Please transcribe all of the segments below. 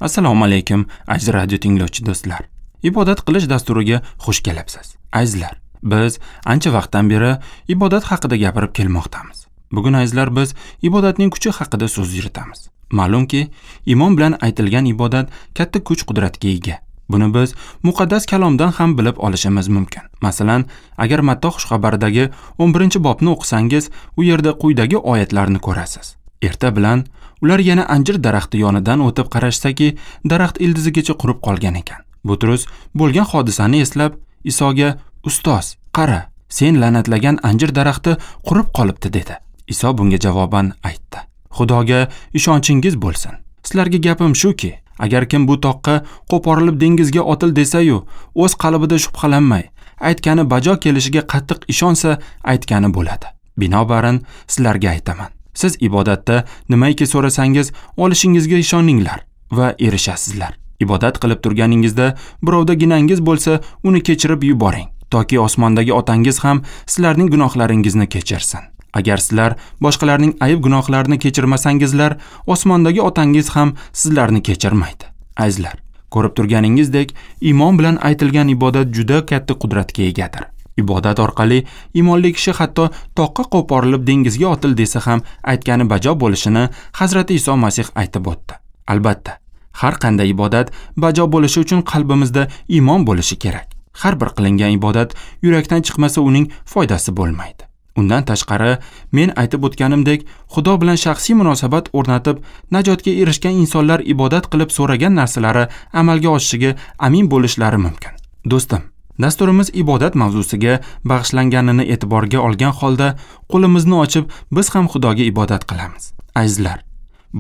Assalomu alaykum, aziz radio tinglovchi do'stlar. Ibodat qilish dasturiga xush kelibsiz. Azizlar, biz ancha vaqtdan beri ibodat haqida gapirib kelmoqdamiz. Bugun azizlar biz ibodatning kuchi haqida so'z yuritamiz. Ma'lumki, iymon bilan aytilgan ibodat katta kuch-qudratga ega. Buni biz muqaddas kalomdan ham bilib olishimiz mumkin. Masalan, agar Matta xushxabaridagi 11-bobni o'qisangiz, u yerda quyidagi oyatlarni ko'rasiz. Erta bilan ular yana anjir daraxti yonidan o'tib qarashsaki, daraxt ildizigacha qurib qolgan ekan. Butrus bo'lgan hodisani eslab, Isoga: "Ustoz, qara, sen la'natlagan anjir daraxti qurib qolibdi" dedi. Iso bunga javoban aytdi: "Xudoga ishonchingiz bo'lsin. Sizlarga gapim shuki, agar kim bu toqqa qo'porilib dengizga otil desa-yu, o'z qalbida shubhalanmay, aytgani bajo kelishiga qattiq ishonsa, aytgani bo'ladi. Binobarin sizlarga aytaman, siz ibodatda nimaiki so'rasangiz, olishingizga ishoninglar va erishasizlar. Ibodat qilib turganingizda birovda ginangiz bo'lsa, uni kechirib yuboring, toki osmondagi otangiz ham sizlarning gunohlaringizni kechirsin. Agar sizlar boshqalarning ayb gunohlarini kechirmasangizlar, osmondagi otangiz ham sizlarni kechirmaydi." Azizlar, ko'rib turganingizdek, iymon bilan aytilgan ibodat juda katta qudratga egadir. Ibodat orqali iymonli kishi hatto toqqa qo'porilib dengizga otil desa ham aytgani bajo bo'lishini Hazrati Iso Masih aytib o'tdi. Albatta, har qanday ibodat bajo bo'lishi uchun qalbimizda iymon bo'lishi kerak. Har bir qilingan ibodat yurakdan chiqmasa uning foydasi bo'lmaydi. Undan tashqari, men aytib o'tganimdek, Xudo bilan shaxsiy munosabat o'rnatib, najotga erishgan insonlar ibodat qilib so'ragan narsalari amalga oshishiga amin bo'lishlari mumkin. Do'stim, dasturimiz ibodat mavzusiga bag'ishlanganini e'tiborga olgan holda qo'limizni ochib, biz ham Xudoga ibodat qilamiz. Azizlar,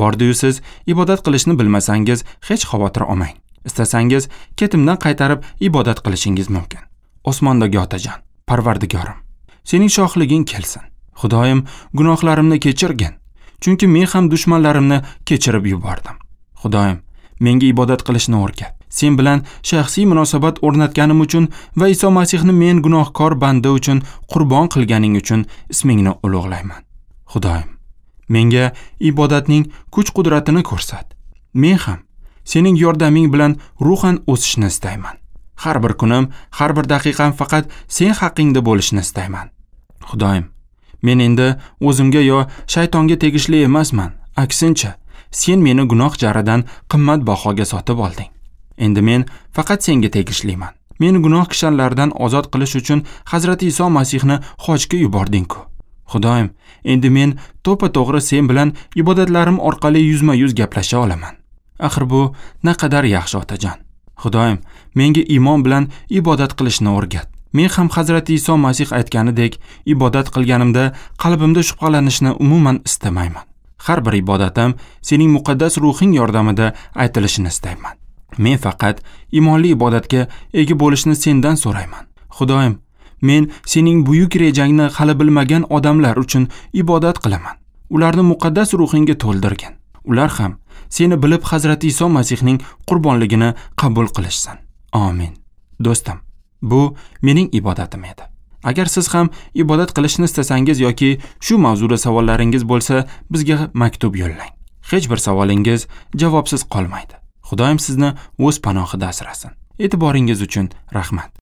bordi-yu siz ibodat qilishni bilmasangiz, hech xavotir olmang. Istasangiz, ketimdan qaytarib ibodat qilishingiz mumkin. Osmondagi Otajon, Parvardigorim, sening shohliging kelsin. Xudoyim, gunohlarimni kechirgin, chunki men ham dushmanlarimni kechirib yubordim. Xudoyim, menga ibodat qilishni o'rgat. Sen bilan shaxsiy munosabat o'rnatganim uchun va Iso Masihni men gunohkor banda uchun qurbon qilganing uchun ismingni ulug'layman. Xudoyim, menga ibodatning kuch-qudratini ko'rsat. Men ham sening yordaming bilan ruhan o'sishni istayman. Har bir kunim, har bir daqiqam faqat sen haqingda bo'lishini istayman. Xudoyim, men endi o'zimga yo shaytonga tegishli emasman. Aksincha, sen meni gunoh jaridan qimmat bahoga sotib olding. Endi men faqat senga tegishliman. Meni gunoh kishanlaridan ozod qilish uchun Hazrati Iso Masihni hojga yubording-ku. Xudoyim, endi men to'pa-to'g'ri sen bilan ibodatlarim orqali yuzma-yuz gaplasha olaman. Axir bu naqadar yaxshi, otajon. Xudoyim, menga iymon bilan ibodat qilishni o'rgat. Men ham Hazrati Iso Masih aytganidek ibodat qilganimda qalbimda shubhalanishni umuman istamayman. Har bir ibodatim sening muqaddas ruhing yordamida aytilishini istayman. Men faqat iymonli ibodatga ega bo'lishni sendan so'rayman. Xudoyim, men sening buyuk rejangni hali bilmagan odamlar uchun ibodat qilaman. Ularni muqaddas ruhingga to'ldirgin. Ular ham seni bilib Hazrati Iso Masihning qurbonligini qabul qilishsin. Amin. Do'stim, bu mening ibodatim edi. Agar siz ham ibodat qilishni istasangiz yoki shu mavzuda savollaringiz bo'lsa, bizga maktub yo'llang. Hech bir savolingiz javobsiz qolmaydi. Xudoyim sizni o'z panohida asrasin. E'tiboringiz uchun rahmat.